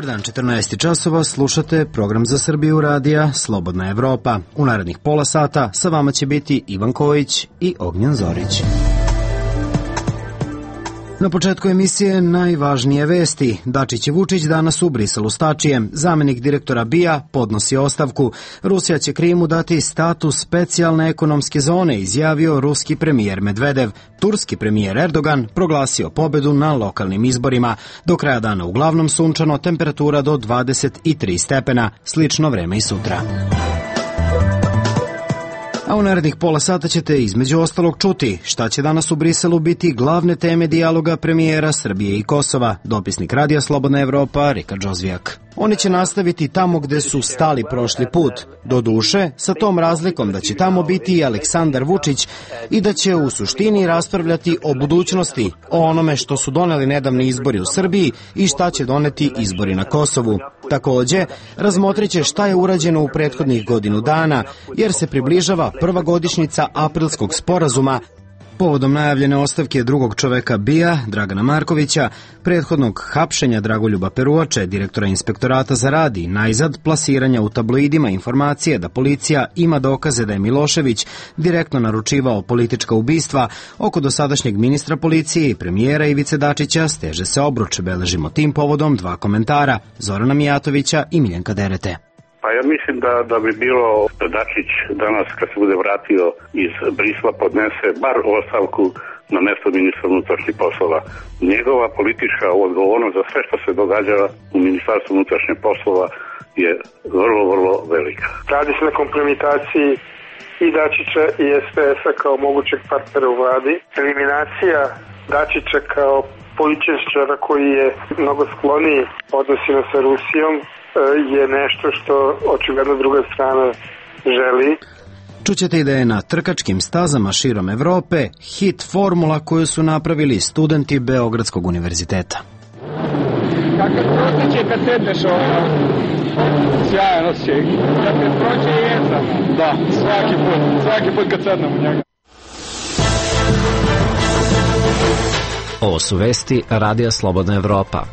Dobar dan, 14 časova, slušate program za Srbiju radija Slobodna Evropa. U narednih pola sata sa vama će biti Ivan Kojić i Ognjen Zorić. Na početku emisije najvažnije vesti. Dačić i Vučić danas u Briselu s Tačijem. Zamenik direktora BIA podnosi ostavku. Rusija će Krimu dati status specijalne ekonomske zone, izjavio ruski premijer Medvedev. Turski premijer Erdogan proglasio pobedu na lokalnim izborima. Do kraja dana uglavnom sunčano, temperatura do 23 stepena. Slično vreme i sutra. A u narednih pola sata ćete između ostalog čuti šta će danas u Briselu biti glavne teme dijaloga premijera Srbije i Kosova. Dopisnik Radija Slobodna Evropa, Rika Džozvijak. Oni će nastaviti tamo gde su stali prošli put. Doduše, sa tom razlikom da će tamo biti i Aleksandar Vučić i da će u suštini raspravljati o budućnosti, o onome što su doneli nedavni izbori u Srbiji i šta će doneti izbori na Kosovu. Takođe, razmotrit će šta je urađeno u prethodnih godinu dana, jer se približava prva godišnjica Aprilskog sporazuma povodom najavljene ostavke drugog čoveka BIA, Dragana Markovića, prethodnog hapšenja Dragoljuba Peruače, direktora inspektorata za rad i najzad plasiranja u tabloidima informacije da policija ima dokaze da je Milošević direktno naručivao politička ubistva, oko dosadašnjeg ministra policije i premijera Ivice Dačića steže se obruč. Beležimo tim povodom dva komentara, Zorana Mijatovića i Miljenka Derete. Pa ja mislim da bi bilo da Dačić danas kad se bude vratio iz Brisla podnese bar ostavku na mesto ministra unutrašnjih poslova. Njegova politička odgovornost za sve što se događa u Ministarstvu unutrašnjih poslova je vrlo, vrlo velika. Radi se na kompromitaciji i Dačića i SPS-a kao mogućeg partnera u vladi. Eliminacija Dačića kao političara koji je mnogo skloniji odnosima sa Rusijom je nešto što očigledno druga strana želi. Čućete i da je na trkačkim stazama širom Evrope hit formula koju su napravili studenti Beogradskog univerziteta. Kakav protiče kad sedneš ovo? Sjajan osjećaj. Kad te prođe jedan. Da, svaki put kad sednem u njega. Ovo su vesti Radija Slobodna Evropa.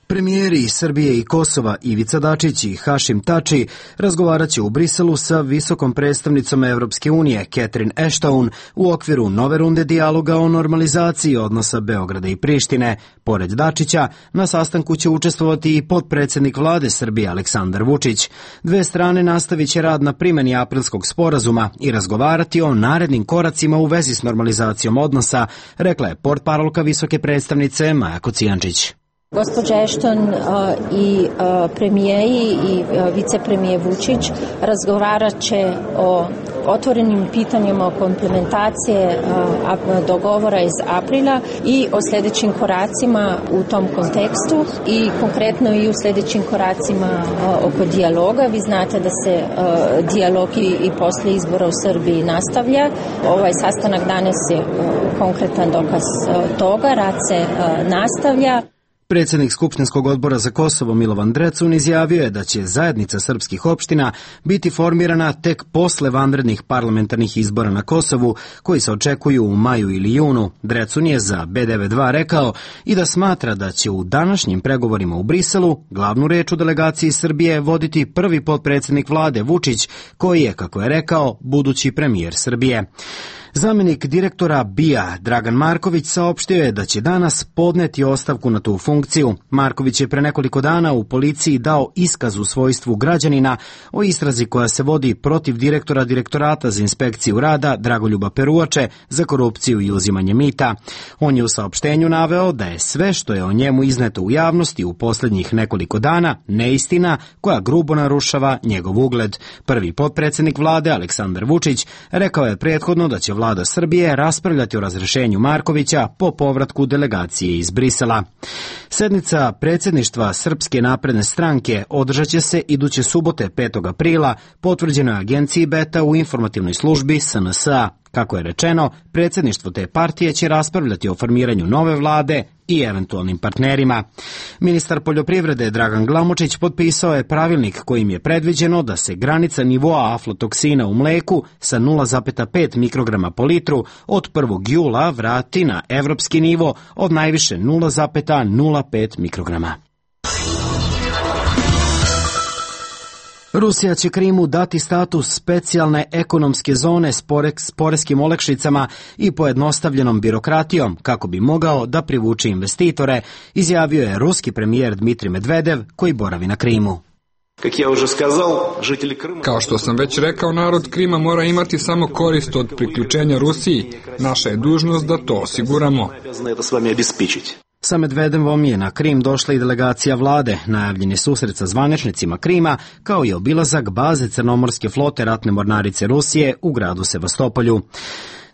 Premijeri Srbije i Kosova Ivica Dačić i Hašim Tači razgovarat će u Briselu sa visokom predstavnicom Evropske unije Catherine Ashton u okviru nove runde dijaloga o normalizaciji odnosa Beograda i Prištine. Pored Dačića, na sastanku će učestvovati i potpredsednik vlade Srbije Aleksandar Vučić. Dve strane nastavit će rad na primeni Aprilskog sporazuma i razgovarati o narednim koracima u vezi s normalizacijom odnosa, rekla je portparolka visoke predstavnice Maja Kocijančić. Gospođa Ashton i premijeri i vicepremijer Vučić razgovarat će o otvorenim pitanjima o implementacije dogovora iz aprila i o sljedećim koracima u tom kontekstu i konkretno i u sljedećim koracima oko dijaloga. Vi znate da se dijalog i posle izbora u Srbiji nastavlja. Ovaj sastanak danas je konkretan dokaz toga. Rad se nastavlja. Predsjednik Skupštinskog odbora za Kosovo Milovan Drecun izjavio je da će zajednica srpskih opština biti formirana tek posle vanrednih parlamentarnih izbora na Kosovu, koji se očekuju u maju ili junu. Drecun je za B92 rekao i da smatra da će u današnjim pregovorima u Briselu glavnu reč u delegaciji Srbije voditi prvi potpredsjednik vlade Vučić, koji je, kako je rekao, budući premijer Srbije. Zamenik direktora BIA Dragan Marković saopštio je da će danas podneti ostavku na tu funkciju. Marković je pre nekoliko dana u policiji dao iskaz u svojstvu građanina o istrazi koja se vodi protiv direktora Direktorata za inspekciju rada Dragoljuba Peruače za korupciju i uzimanje mita. On je u saopštenju naveo da je sve što je o njemu izneto u javnosti u posljednjih nekoliko dana neistina koja grubo narušava njegov ugled. Prvi potpredsjednik vlade Aleksandar Vučić rekao je prethodno da će vlada Srbije raspravljati o razrešenju Markovića po povratku delegacije iz Brisela. Sednica predsjedništva Srpske napredne stranke održat će se iduće subote 5. aprila, potvrđeno je agenciji Beta u informativnoj službi SNS-a. Kako je rečeno, predsjedništvo te partije će raspravljati o formiranju nove vlade i eventualnim partnerima. Ministar poljoprivrede Dragan Glamočić potpisao je pravilnik kojim je predviđeno da se granica nivoa aflatoksina u mleku sa 0,5 mikrograma po litru od 1. jula vrati na evropski nivo od najviše 0,05 mikrograma. Rusija će Krimu dati status specijalne ekonomske zone s poreskim olakšicama i pojednostavljenom birokratijom kako bi mogao da privuče investitore, izjavio je ruski premijer Dmitrij Medvedev koji boravi na Krimu. Kao što sam već rekao, narod Krima mora imati samo korist od priključenja Rusiji. Naša je dužnost da to osiguramo. Sa Medvedevom je na Krim došla i delegacija vlade, najavljen je susret sa zvaničnicima Krima, kao i obilazak baze Crnomorske flote ratne mornarice Rusije u gradu Sevastopolju.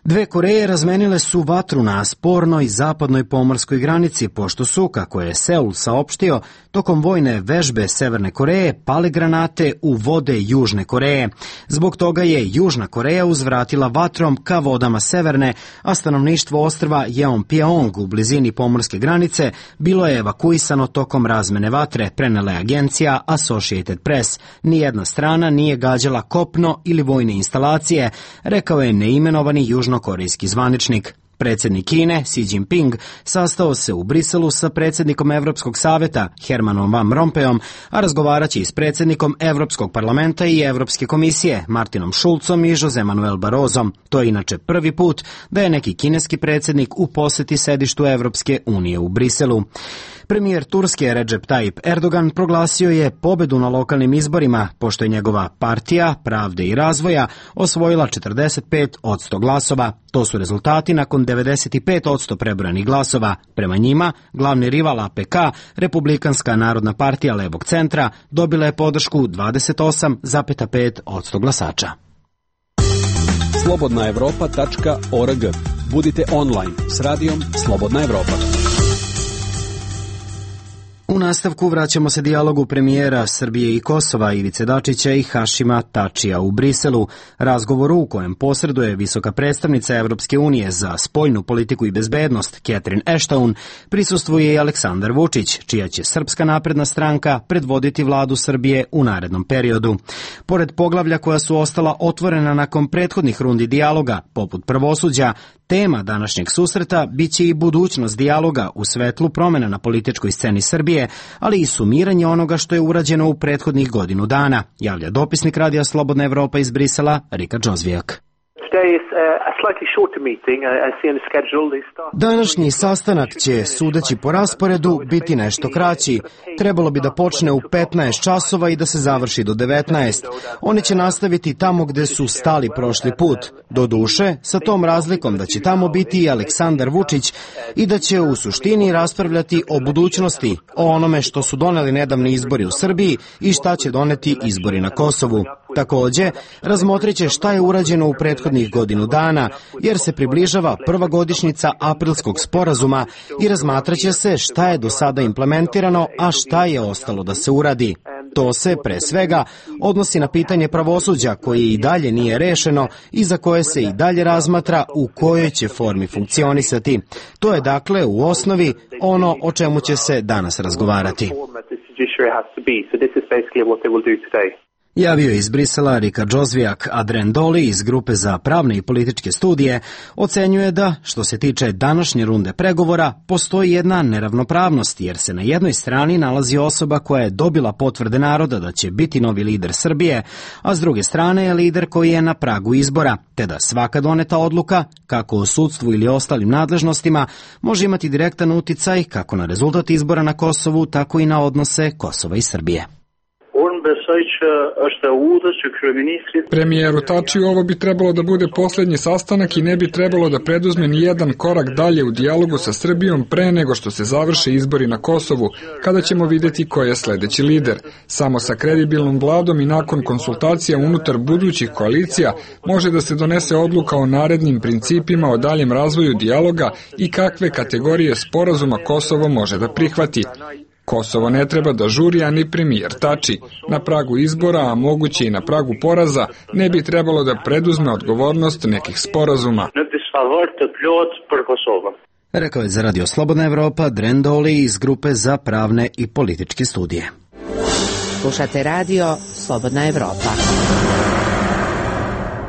Dve Koreje razmenile su vatru na spornoj zapadnoj pomorskoj granici, pošto su, kako je Seul saopštio, tokom vojne vežbe Severne Koreje pale granate u vode Južne Koreje. Zbog toga je Južna Koreja uzvratila vatrom ka vodama Severne, a stanovništvo ostrva Jeonpyeong u blizini pomorske granice bilo je evakuisano tokom razmene vatre, prenela je agencija Associated Press. Nijedna strana nije gađala kopno ili vojne instalacije, rekao je neimenovani južnokorejski zvaničnik. Predsjednik Kine, Xi Jinping, sastao se u Briselu sa predsjednikom Evropskog saveta, Hermanom Van Rompuyom, a razgovaraće i s predsjednikom Evropskog parlamenta i Evropske komisije, Martinom Schulzom i José Manuel Barrosom. To je inače prvi put da je neki kineski predsjednik u posjeti sedištu Evropske unije u Briselu. Premijer Turske Recep Tayyip Erdogan proglasio je pobedu na lokalnim izborima, pošto je njegova partija Pravde i razvoja osvojila 45% glasova. To su rezultati nakon 95% prebrojanih glasova. Prema njima, glavni rival APK, Republikanska narodna partija levog centra, dobila je podršku 28,5% glasača. slobodnaevropa.org. Budite online s radijom Slobodna Evropa. U nastavku vraćamo se dijalogu premijera Srbije i Kosova Ivice Dačića i Hašima Tačija u Briselu, razgovoru u kojem posreduje visoka predstavnica Evropske unije za spoljnu politiku i bezbednost Catherine Ashton, prisustvuje i Aleksandar Vučić, čija će Srpska napredna stranka predvoditi vladu Srbije u narednom periodu. Pored poglavlja koja su ostala otvorena nakon prethodnih rundi dijaloga, poput pravosuđa, tema današnjeg susreta biće i budućnost dijaloga u svetlu promjena na političkoj sceni Srbije, ali i sumiranje onoga što je urađeno u prethodnih godinu dana, javlja dopisnik Radija Slobodna Evropa iz Brisela, Rika Džozvijak. Današnji sastanak će, sudeći po rasporedu, biti nešto kraći. Trebalo bi da počne u 15 časova i da se završi do 19. Oni će nastaviti tamo gde su stali prošli put. Doduše, sa tom razlikom da će tamo biti i Aleksandar Vučić i da će u suštini raspravljati o budućnosti, o onome što su doneli nedavni izbori u Srbiji i šta će doneti izbori na Kosovu. Takođe, razmotrit će šta je urađeno u prethodnih godinu dana, jer se približava prva godišnjica Aprilskog sporazuma i razmatraće se šta je do sada implementirano, a šta je ostalo da se uradi. To se, pre svega, odnosi na pitanje pravosuđa koje i dalje nije rešeno i za koje se i dalje razmatra u kojoj će formi funkcionisati. To je dakle u osnovi ono o čemu će se danas razgovarati. Javio je iz Brisela Rika Džozvijak, a Dren Doli iz Grupe za pravne i političke studije ocenjuje da, što se tiče današnje runde pregovora, postoji jedna neravnopravnost, jer se na jednoj strani nalazi osoba koja je dobila potvrde naroda da će biti novi lider Srbije, a s druge strane je lider koji je na pragu izbora, te da svaka doneta odluka, kako o sudstvu ili ostalim nadležnostima, može imati direktan uticaj kako na rezultat izbora na Kosovu, tako i na odnose Kosova i Srbije. Premijeru Tačiju, ovo bi trebalo da bude posljednji sastanak i ne bi trebalo da preduzme ni jedan korak dalje u dijalogu sa Srbijom pre nego što se završe izbori na Kosovu, kada ćemo vidjeti ko je sledeći lider. Samo sa kredibilnom vladom i nakon konsultacija unutar budućih koalicija može da se donese odluka o narednim principima o daljem razvoju dijaloga i kakve kategorije sporazuma Kosovo može da prihvati. Kosovo ne treba da žuri, a ni premijer Tači. Na pragu izbora, a moguće i na pragu poraza, ne bi trebalo da preduzme odgovornost nekih sporazuma. Rekao je za Radio Slobodna Evropa Dren Doli iz Grupe za pravne i političke studije. Slušate Radio Slobodna Evropa.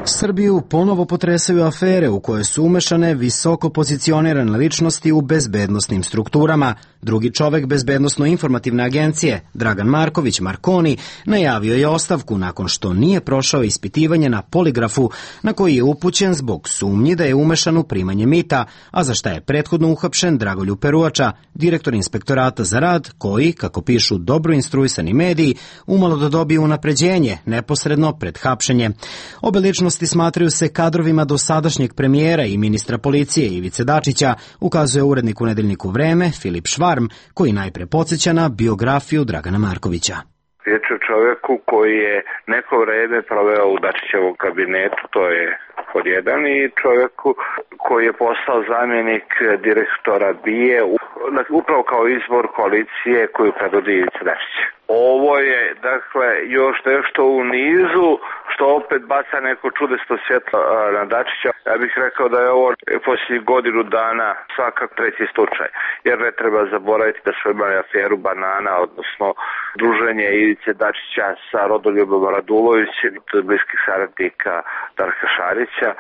Srbiju ponovo potresaju afere u koje su umešane visoko pozicionirane ličnosti u bezbednosnim strukturama. Drugi čovek Bezbednosno-informativne agencije, Dragan Marković Marconi, najavio je ostavku nakon što nije prošao ispitivanje na poligrafu na koji je upućen zbog sumnji da je umešan u primanje mita, a za šta je prethodno uhapšen Dragoljub Peruača, direktor Inspektorata za rad, koji, kako pišu dobro instruisani mediji, umalo da dobije unapređenje neposredno pred hapšenje. Obe ličnosti smatraju se kadrovima dosadašnjeg premijera i ministra policije Ivice Dačića, ukazuje urednik u nedeljniku Vreme Filip Švarm, koji najpre podsjeća na biografiju Dragana Markovića. Riječ je o čovjeku koji je neko vreme proveo u Dačićevom kabinetu, to je pod jedan, i čovjeku koji je postao zamjenik direktora BIA upravo kao izbor koalicije koju predvodi Ivica Dačić. Ovo je, dakle, još nešto u nizu što opet baca neko čudesto svjetlo na Dačića. Ja bih rekao da je ovo poslije godinu dana svakak treći slučaj, jer ne treba zaboraviti da su imali aferu banana, odnosno druženje Ivice Dačića sa Rodoljubom Radulovićem, bliskih saradnika Darka Šarića,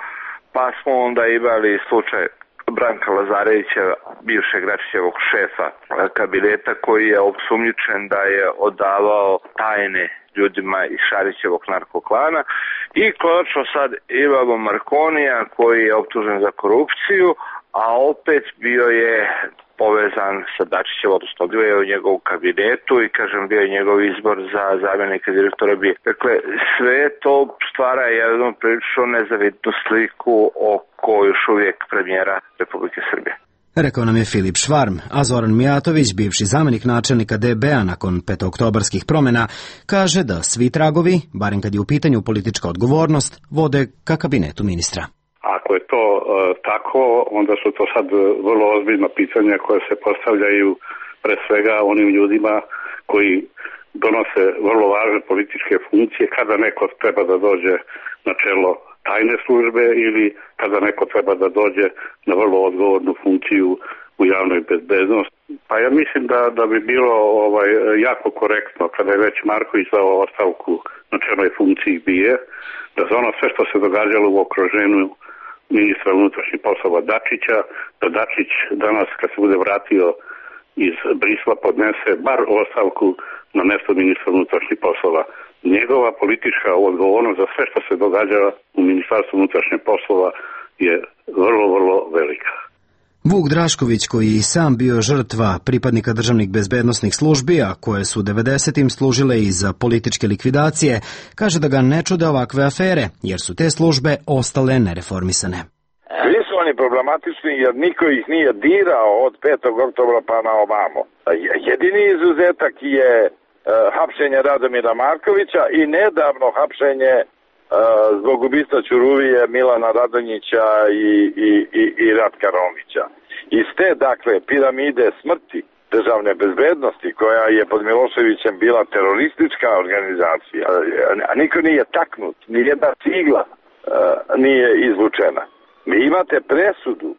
pa smo onda imali slučaj Branka Lazarevića, bivšeg Dačićevog šefa kabineta, koji je osumnjičen da je odavao tajne ljudima iz Šarićevog narkoklana, i konačno sad imamo Marconija koji je optužen za korupciju, a opet bio je povezan sa Dačićevom, odnosno bio je u njegovom kabinetu i, kažem, bio je njegov izbor za zamjenika direktora BIA. Dakle, sve to stvara jednu prilično nezavidnu sliku oko još uvijek premijera Republike Srbije. Rekao nam je Filip Švarm, a Zoran Mijatović, bivši zamenik načelnika DB-a nakon petooktobarskih promjena, kaže da svi tragovi, barem kad je u pitanju politička odgovornost, vode ka kabinetu ministra. Ako je to tako, onda su to sad vrlo ozbiljna pitanja koja se postavljaju pre svega onim ljudima koji donose vrlo važne političke funkcije, kada neko treba da dođe na čelo tajne službe ili kada neko treba da dođe na vrlo odgovornu funkciju u javnoj bezbednosti. Pa ja mislim da bi bilo jako korektno kada je već Marković dao ostavku na čelnoj funkciji BIA, da za ono sve što se događalo u okruženju ministra unutrašnjih poslova Dačića, da Dačić danas kad se bude vratio iz Brisla podnese bar ostavku na mesto ministra unutrašnjih poslova. Njegova politička odgovornost za sve što se događa u Ministarstvu unutrašnjih poslova je vrlo, vrlo velika. Vuk Drašković, koji i sam bio žrtva pripadnika državnih bezbednosnih službi, a koje su 90-im služile i za političke likvidacije, kaže da ga ne čude ovakve afere, jer su te službe ostale nereformisane. Svi su oni problematični jer niko ih nije dirao od 5. oktobra pa na ovamo. Jedini izuzetak je hapšenje Radomira Markovića i nedavno hapšenje zbog ubistva Ćuruvije Milana Radonjića i Ratka Romića. Iz te, dakle, piramide smrti državne bezbednosti, koja je pod Miloševićem bila teroristička organizacija, a niko nije taknut, ni jedna cigla nije izvučena. Vi imate presudu.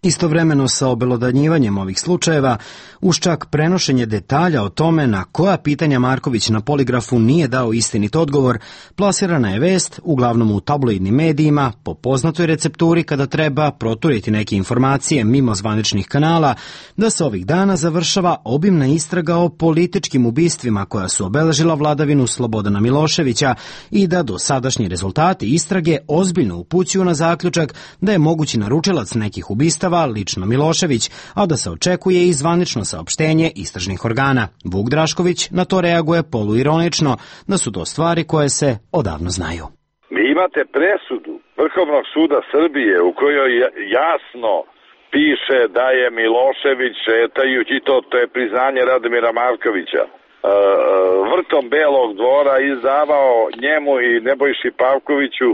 Istovremeno sa obelodanjivanjem ovih slučajeva, uz čak prenošenje detalja o tome na koja pitanja Marković na poligrafu nije dao istinit odgovor, plasirana je vest, uglavnom u tabloidnim medijima, po poznatoj recepturi kada treba proturiti neke informacije mimo zvaničnih kanala, da se ovih dana završava obimna istraga o političkim ubistvima koja su obeležila vladavinu Slobodana Miloševića i da dosadašnji rezultati istrage ozbiljno upućuju na zaključak da je mogući naručilac nekih ubistava lično Milošević, a da se očekuje i zvanično saopštenje istražnih organa. Vuk Drašković na to reaguje poluironično da su to stvari koje se odavno znaju. Vi imate presudu Vrhovnog suda Srbije u kojoj jasno piše da je Milošević šetajući, to je priznanje Radomira Markovića, vrtom Belog dvora izdavao njemu i Nebojši Pavkoviću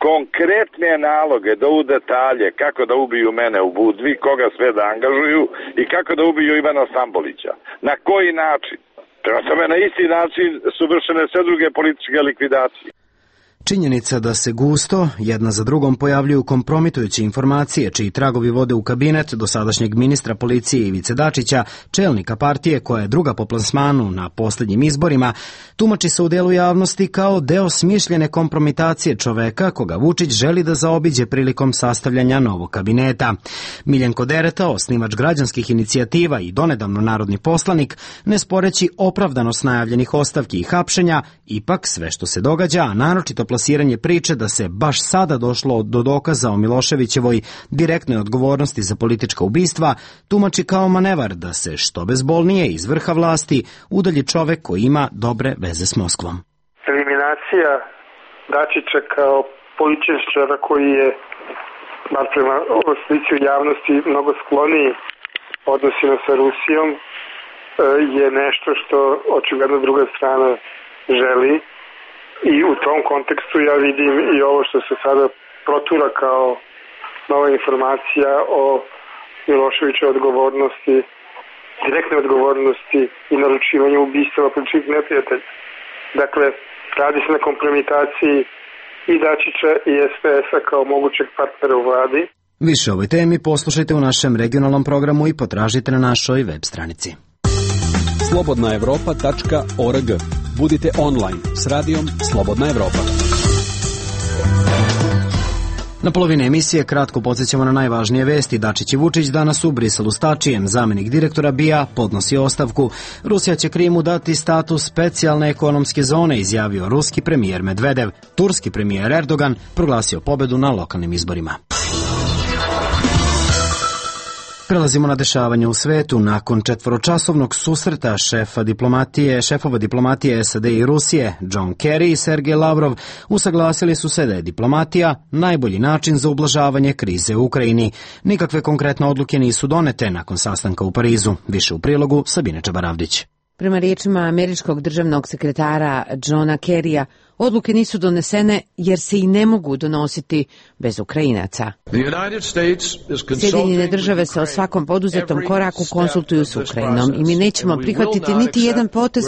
konkretne naloge da u detalje kako da ubiju mene u Budvi, koga sve da angažuju i kako da ubiju Ivana Stambolića. Na koji način? Prema tome, na isti način su vršene sve druge političke likvidacije. Činjenica da se gusto, jedna za drugom, pojavljuju kompromitujuće informacije, čiji tragovi vode u kabinet dosadašnjeg ministra policije Ivice Dačića, čelnika partije koja je druga po plasmanu na posljednjim izborima, tumači se u delu javnosti kao deo smišljene kompromitacije čoveka koga Vučić želi da zaobiđe prilikom sastavljanja novog kabineta. Miljenko Dereta, osnivač građanskih inicijativa i donedavno narodni poslanik, ne sporeći opravdanost najavljenih ostavki i hapšenja, ipak sve što se događa, a naročito plasiranje priče da se baš sada došlo do dokaza o Miloševićevoj direktnoj odgovornosti za politička ubistva, tumači kao manevar da se što bezbolnije iz vrha vlasti udalji čovek koji ima dobre veze s Moskvom. Eliminacija Dačića kao političara koji je, bar prema slici u javnosti, mnogo skloniji odnosima sa Rusijom, je nešto što očigledno druga strana želi. I u tom kontekstu ja vidim i ovo što se sada protura kao nova informacija o Miloševićevoj odgovornosti, direktne odgovornosti i naručivanju ubistava političkih neprijatelja. Dakle, radi se na kompromitaciji i Dačića i SPS-a kao mogućeg partnera u vladi. Više o ovoj temi poslušajte u našem regionalnom programu i potražite na našoj web stranici. slobodnaevropa.org. Budite online s radijom Slobodna Evropa. Na polovini emisije kratko podsjećamo na najvažnije vesti. Dačić i Vučić danas u Briselu s Tačijem. Zamenik direktora BIA podnosi ostavku. Rusija će Krimu dati status specijalne ekonomske zone, izjavio ruski premijer Medvedev. Turski premijer Erdogan proglasio pobedu na lokalnim izborima. Prelazimo na dešavanje u svetu. Nakon četvoročasovnog susreta šefova diplomatije SAD i Rusije, John Kerry i Sergej Lavrov usaglasili su se da je diplomatija najbolji način za ublažavanje krize u Ukrajini. Nikakve konkretne odluke nisu donete nakon sastanka u Parizu. Više u prilogu Sabine Čabaravdić. Prema riječima američkog državnog sekretara Johna Kerrya, odluke nisu donesene jer se i ne mogu donositi bez Ukrajinaca. Sjedinjene države se o svakom poduzetom koraku konsultuju s Ukrajinom i mi nećemo prihvatiti niti jedan potez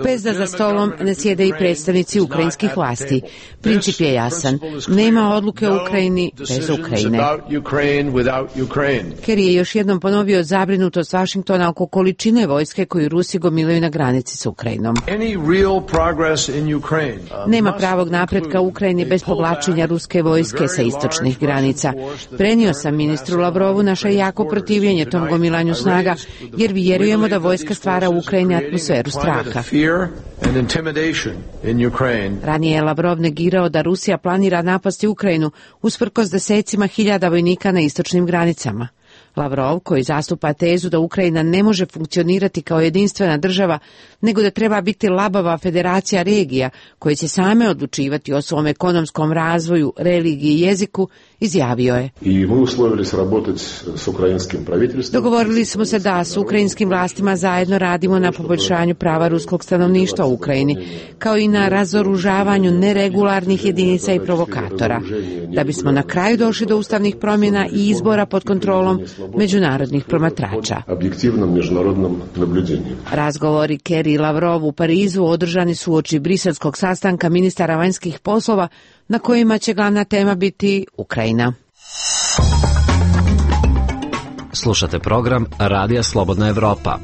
bez da za stolom ne sjede i predstavnici ukrajinskih vlasti. Princip je jasan. Nema odluke o Ukrajini bez Ukrajine. Kerry je još jednom ponovio zabrinutost Vašingtona oko količine vojske koju Rusi gomilaju na granici s Ukrajinom. Nema pravog napretka u Ukrajini bez povlačenja ruske vojske sa istočnih granica. Prenio sam ministru Lavrovu naše jako protivljenje tom gomilanju snaga, jer vjerujemo da vojska stvara u Ukrajini atmosferu straha. Ranije je Lavrov negirao da Rusija planira napasti Ukrajinu usprkos desecima hiljada vojnika na istočnim granicama. Lavrov, koji zastupa tezu da Ukrajina ne može funkcionirati kao jedinstvena država, nego da treba biti labava federacija regija koje će same odlučivati o svom ekonomskom razvoju, religiji i jeziku, izjavio je. Dogovorili smo se da s ukrajinskim vlastima zajedno radimo na poboljšanju prava ruskog stanovništva u Ukrajini, kao i na razoružavanju neregularnih jedinica i provokatora, da bismo na kraju došli do ustavnih promjena i izbora pod kontrolom međunarodnih promatrača. Razgovori Kerry i Lavrov u Parizu održani su uoči briselskog sastanka ministara vanjskih poslova na kojima će glavna tema biti Ukrajina. Slušate program Radija Slobodna Evropa.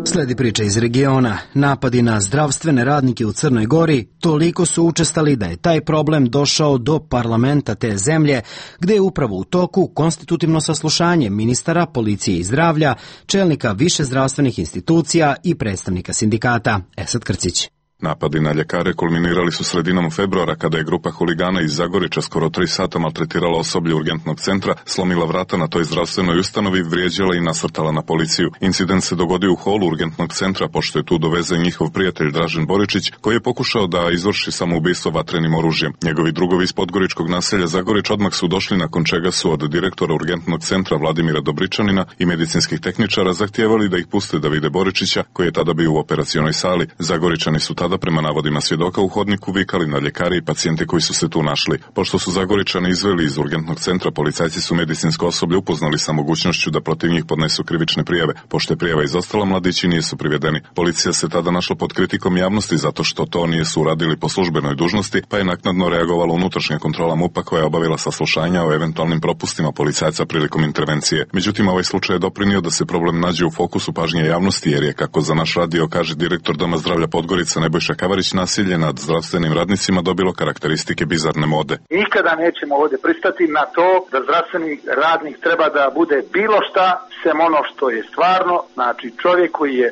Sledi priča iz regiona. Napadi na zdravstvene radnike u Crnoj Gori toliko su učestali da je taj problem došao do parlamenta te zemlje, gde je upravo u toku konstitutivno saslušanje ministara policije i zdravlja, čelnika više zdravstvenih institucija i predstavnika sindikata. Esad Krcić. Napadi na ljekare kulminirali su sredinom februara kada je grupa huligana iz Zagorića skoro 3 sata maltretirala osoblje urgentnog centra, slomila vrata na toj zdravstvenoj ustanovi, vrijeđala i nasrtala na policiju. Incident se dogodio u holu urgentnog centra, pošto je tu dovezen njihov prijatelj Dražen Boričić, koji je pokušao da izvrši samoubistvo vatrenim oružjem. Njegovi drugovi iz podgoričkog naselja Zagorić odmah su došli, nakon čega su od direktora urgentnog centra Vladimira Dobričanina i medicinskih tehničara zahtijevali da ih puste da vide Boričića, koji je tada bio u operacionoj sali. Zagoričani su tada tada prema navodima svjedoka u hodniku vikali na ljekare i pacijente koji su se tu našli. Pošto su Zagoričani izveli iz urgentnog centra, policajci su medicinsko osoblje upoznali sa mogućnošću da protiv njih podnesu krivične prijave. Pošto je prijava izostala, mladići nisu privedeni. Policija se tada našla pod kritikom javnosti zato što to nisu uradili po službenoj dužnosti, pa je naknadno reagovala unutrašnja kontrola MUP-a koja je obavila saslušanja o eventualnim propustima policajca prilikom intervencije. Međutim, ovaj slučaj je doprinio da se problem nađe u fokusu pažnje javnosti, jer je, kako za naš radio kaže direktor Doma zdravlja Podgorica Nebojša Kavarić, nasilje nad zdravstvenim radnicima dobilo karakteristike bizarne mode. Nikada nećemo ovdje pristati na to da zdravstveni radnik treba da bude bilo šta sem ono što je stvarno, znači čovjek koji je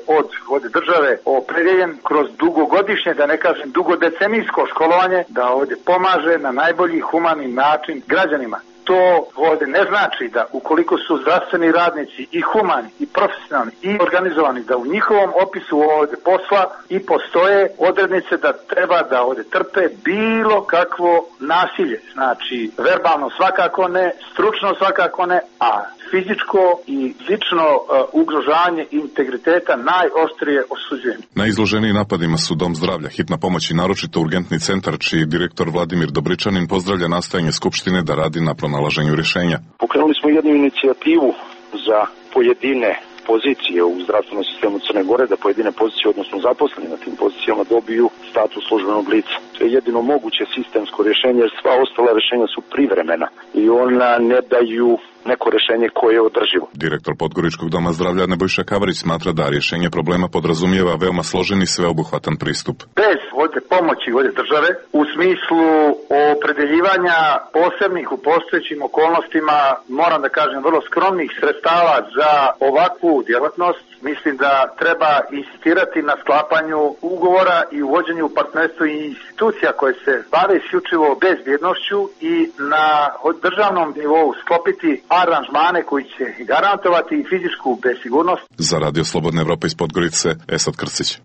od države opredjeljen kroz dugogodišnje, da ne kažem dugodecenijsko školovanje, da ovdje pomaže na najbolji humani način građanima. To ovdje ne znači da ukoliko su zdravstveni radnici i humani, i profesionalni, i organizovani, da u njihovom opisu ovdje posla i postoje odrednice da treba da ovdje trpe bilo kakvo nasilje. Znači, verbalno svakako ne, stručno svakako ne, a fizičko i lično ugrožavanje integriteta najoštrije osuđujem. Najizloženiji napadima su Dom zdravlja, hitna pomoć i naročito urgentni centar, čiji direktor Vladimir Dobričanin pozdravlja nastojanje Skupštine da radi na pronalaženju rješenja. Pokrenuli smo jednu inicijativu za pojedine pozicije u zdravstvenom sistemu Crne Gore, da pojedine pozicije, odnosno zaposleni na tim pozicijama, dobiju status službenog lica. To je jedino moguće sistemsko rješenje, jer sva ostala rješenja su privremena i ona ne daju neko rješenje koje je održivo. Direktor Podgoričkog doma zdravlja Nebojša Kavarić smatra da rješenje problema podrazumijeva veoma složen i sveobuhvatan pristup. Bez ovdje pomoći ovdje države, u smislu opredeljivanja posebnih u postojećim okolnostima, moram da kažem vrlo skromnih sredstava za ovakvu djelatnost, mislim da treba insistirati na sklapanju ugovora i uvođenju u partnerstvo i institucija koje se bave isključivo bezbjednošću i na državnom nivou sklopiti aranžmane koji će garantovati i fizičku bezsigurnost. Za Radio Slobodna Evropa iz Podgorice, Esad Krstić.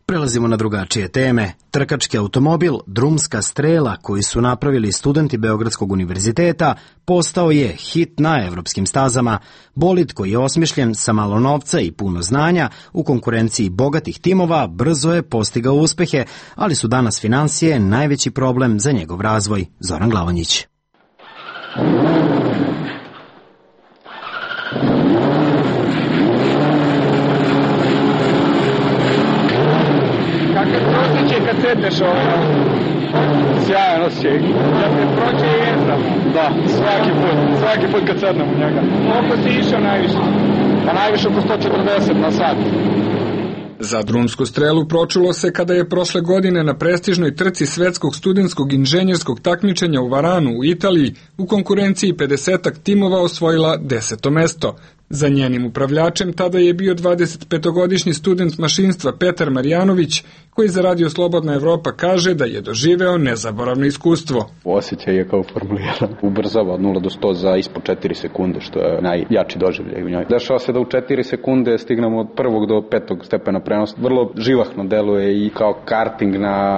Prelazimo na drugačije teme. Trkački automobil Drumska strela koji su napravili studenti Beogradskog univerziteta postao je hit na evropskim stazama. Bolid koji je osmišljen sa malo novca i puno znanja u konkurenciji bogatih timova brzo je postigao uspehe, ali su danas finansije najveći problem za njegov razvoj. Zoran Glavonjić. Kad sedneš sjajan osjećaj, kad te prođe jezda, da, svaki put kad sednem u njega. Koliko si išao najviše? Pa najviše oko 140 na sat. Za drumsku strelu pročulo se kada je prošle godine na prestižnoj trci svetskog studentskog inženjerskog takmičenja u Varanu u Italiji u konkurenciji 50-ak timova osvojila 10. mesto. Za njenim upravljačem tada je bio 25-godišnji student mašinstva Petar Marjanović, koji za Radio Slobodna Evropa kaže da je doživeo nezaboravno iskustvo. Osjećaj je kao formuliran. Ubrzava od 0 do 100 za ispod 4 sekunde, što je najjači doživljaj u njoj. Dešava se da u 4 sekunde stignemo od 1. do 5. stepena prenosa. Vrlo živahno deluje i kao karting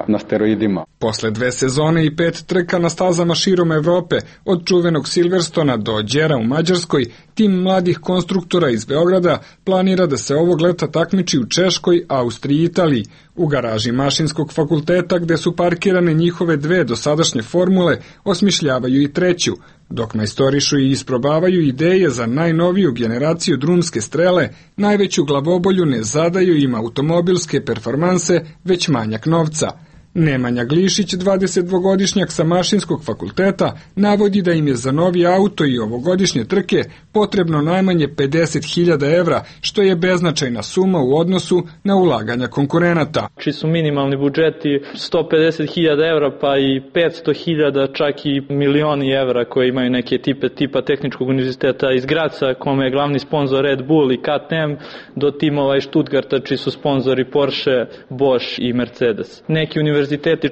na steroidima. Posle 2 sezone i 5 trka na stazama širom Evrope, od čuvenog Silverstona do Đera u Mađarskoj, tim mladih konstruktora iz Beograda planira da se ovog leta takmiči u Češkoj, Austriji i Italiji. U garaži Mašinskog fakulteta, gde su parkirane njihove 2 dosadašnje formule, osmišljavaju i treću, dok majstorišu i isprobavaju ideje za najnoviju generaciju drumske strele. Najveću glavobolju ne zadaju im automobilske performanse, već manjak novca. Nemanja Glišić, 22-godišnjak sa Mašinskog fakulteta, navodi da im je za novi auto i ovogodišnje trke potrebno najmanje 50.000 evra, što je beznačajna suma u odnosu na ulaganja konkurenata. Či su minimalni budžeti 150.000 evra pa i 500.000, čak i milioni evra koje imaju neke tipa Tehničkog univerziteta iz Graca, kome je glavni sponsor Red Bull i KTM, do timova iz Stuttgarta, čiji su sponzori Porsche, Bosch i Mercedes. Neki univerziteti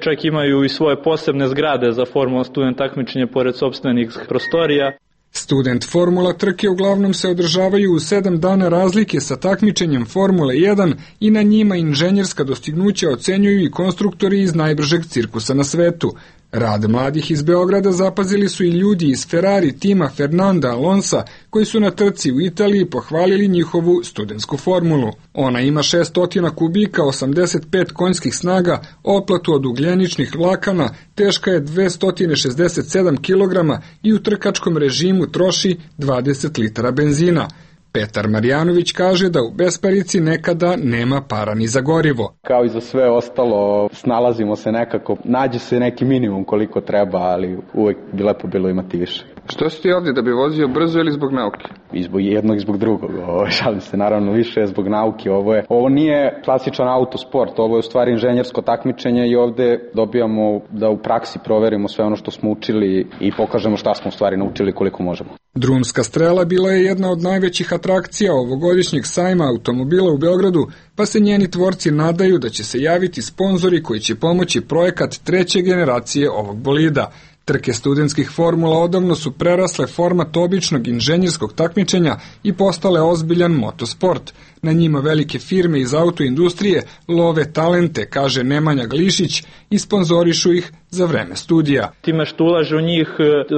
čak imaju i svoje posebne zgrade za Formula student takmičenje pored sopstvenih prostorija. Student Formula trke uglavnom se održavaju u 7 dana razlike sa takmičenjem Formule 1 i na njima inženjerska dostignuća ocenjuju i konstruktori iz najbržeg cirkusa na svetu. Rad mladih iz Beograda zapazili su i ljudi iz Ferrari tima Fernanda Alonsa, koji su na trci u Italiji pohvalili njihovu studentsku formulu. Ona ima 600 kubika, 85 konjskih snaga, oplatu od ugljeničnih vlakana, teška je 267 kg i u trkačkom režimu troši 20 litara benzina. Petar Marjanović kaže da u besparici nekada nema para ni za gorivo. Kao i za sve ostalo, snalazimo se nekako, nađe se neki minimum koliko treba, ali uvek bi lepo bilo imati više. Što si ti ovdje, da bi vozio brzo ili zbog nauke? I zbog jednog i zbog drugog. Šalim se, naravno više zbog nauke. Ovo nije klasičan autosport, ovo je u stvari inženjersko takmičenje i ovde dobijamo da u praksi proverimo sve ono što smo učili i pokažemo šta smo u stvari naučili koliko možemo. Drumska strela bila je jedna od najvećih atrakcija ovogodišnjeg sajma automobila u Beogradu, pa se njeni tvorci nadaju da će se javiti sponzori koji će pomoći projekat treće generacije ovog bolida. Trke studentskih formula odavno su prerasle format običnog inženjerskog takmičenja i postale ozbiljan motosport. Na njima velike firme iz autoindustrije love talente, kaže Nemanja Glišić, i sponzorišu ih za vreme studija. Time što ulažu u njih,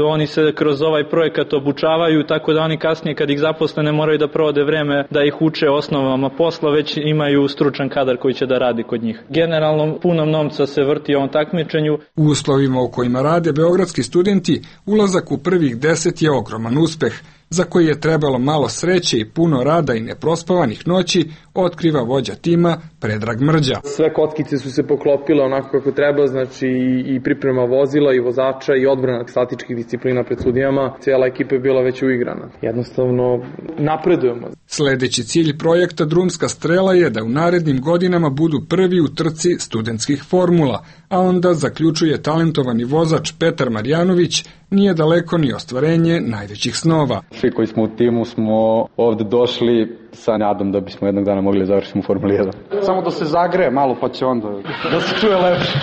oni se kroz ovaj projekat obučavaju, tako da oni kasnije kad ih zaposle ne moraju da provode vreme da ih uče osnovama posla, već imaju stručan kadar koji će da radi kod njih. Generalno, puno novca se vrti u ovom takmičenju. U uslovima u kojima rade beogradski studenti, ulazak u prvih 10 je ogroman uspeh, za koji je trebalo malo sreće i puno rada i neprospavanih noći, otkriva vođa tima Predrag Mrđa. Sve kockice su se poklopile onako kako treba, znači i priprema vozila i vozača i odbrana statičkih disciplina pred sudijama. Cijela ekipa je bila već uigrana. Jednostavno napredujemo. Sledeći cilj projekta Drumska strela je da u narednim godinama budu prvi u trci studentskih formula, a onda, zaključuje talentovani vozač Petar Marjanović, nije daleko ni ostvarenje najvećih snova. Svi koji smo u timu smo ovde došli sa nadom da bismo jednog dana mogli završiti u Formuli 1. Samo da se zagreje malo pa će onda da se čuje lepše.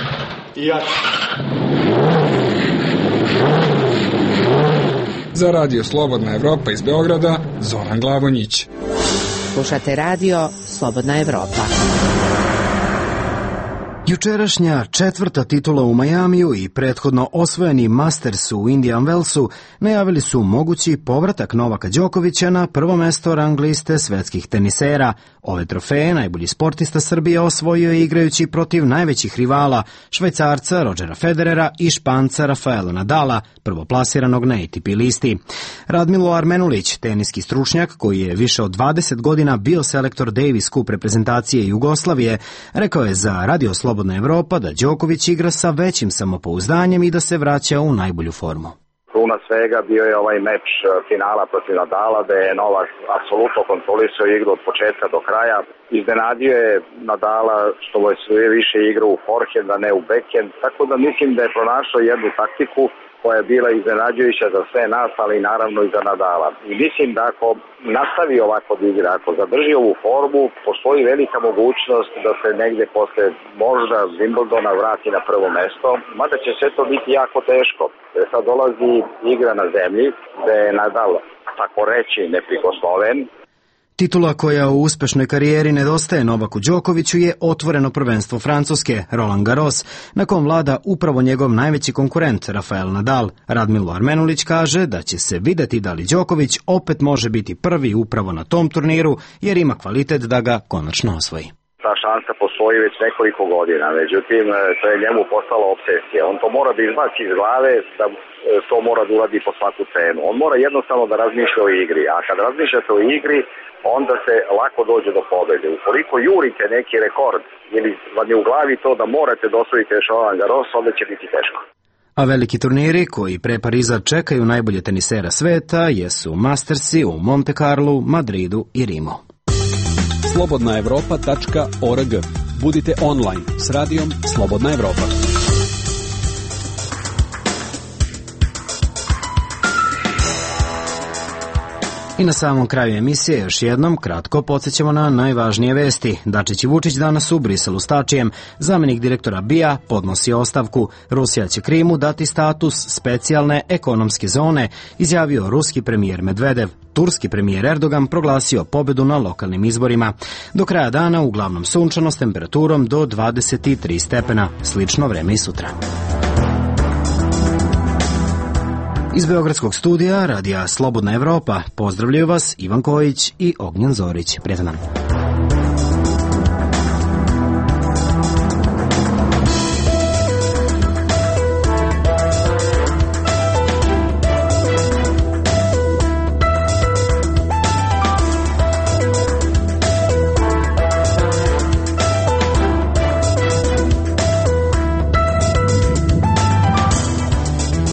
I ja. Za Radio Slobodna Evropa iz Beograda, Zoran Glavonjić. Slušate Radio Slobodna Evropa. Jučerašnja četvrta titula u Majamiju i prethodno osvojeni Masters u Indian Wellsu najavili su mogući povratak Novaka Đokovića na prvo mesto rang liste svetskih tenisera. Ove trofeje najbolji sportista Srbije osvojio je igrajući protiv najvećih rivala, Švajcarca Rodgera Federera i Španca Rafaela Nadala, prvoplasiranog na ATP listi. Radmilo Armenulić, teniski stručnjak koji je više od 20 godina bio selektor Davis Cup reprezentacije Jugoslavije, rekao je za Radio Slobodna Evropa da Đoković igra sa većim samopouzdanjem i da se vraća u najbolju formu. Kruna svega bio je ovaj meč finala protiv Nadala, da je Novak apsolutno kontrolisao igru od početka do kraja. Iznenadio je Nadala što mu je sve više igra u forehand, a ne u backhand, tako da mislim da je pronašao jednu taktiku koja je bila iznenađujuća za sve nas, ali naravno i za Nadala. I mislim da ako nastavi ovako da igra, ako zadrži ovu formu, postoji velika mogućnost da se negde posle možda Wimbledona vrati na prvo mesto, mada će sve to biti jako teško. Sad dolazi igra na zemlji, gde je Nadal, tako reći, neprikosnoven. Titula koja u uspešnoj karijeri nedostaje Novaku Đokoviću je otvoreno prvenstvo Francuske, Roland Garros, na kom vlada upravo njegov najveći konkurent, Rafael Nadal. Radmilo Armenulić kaže da će se videti da li Đoković opet može biti prvi upravo na tom turniru, jer ima kvalitet da ga konačno osvoji. Ta šansa postoji već nekoliko godina, međutim, to je njemu postala obsesija. On to mora da izbaci iz glave, da to mora da uradi po svaku cenu. On mora jednostavno da razmišlja o igri, a kad razmišljate o igri, onda se lako dođe do pobede. Ukoliko jurite neki rekord ili vam je u glavi to da morate da osvojite Roland Garros, onda će biti teško. A veliki turniri koji pre Pariza čekaju najbolje tenisera sveta jesu Mastersi u Monte Carlu, Madridu i Rimu. slobodnaevropa.org. Budite online s radijom Slobodna Evropa. I na samom kraju emisije još jednom kratko podsjećamo na najvažnije vesti. Dačić i Vučić danas u Briselu s Tačijem. Zamenik direktora BIA podnosi ostavku. Rusija će Krimu dati status specijalne ekonomske zone, izjavio ruski premijer Medvedev. Turski premijer Erdogan proglasio pobedu na lokalnim izborima. Do kraja dana uglavnom sunčano s temperaturom do 23 stepena. Slično vreme i sutra. Iz Beogradskog studija Radija Slobodna Evropa pozdravljaju vas Ivan Kojić i Ognjen Zorić. Prijatan dan.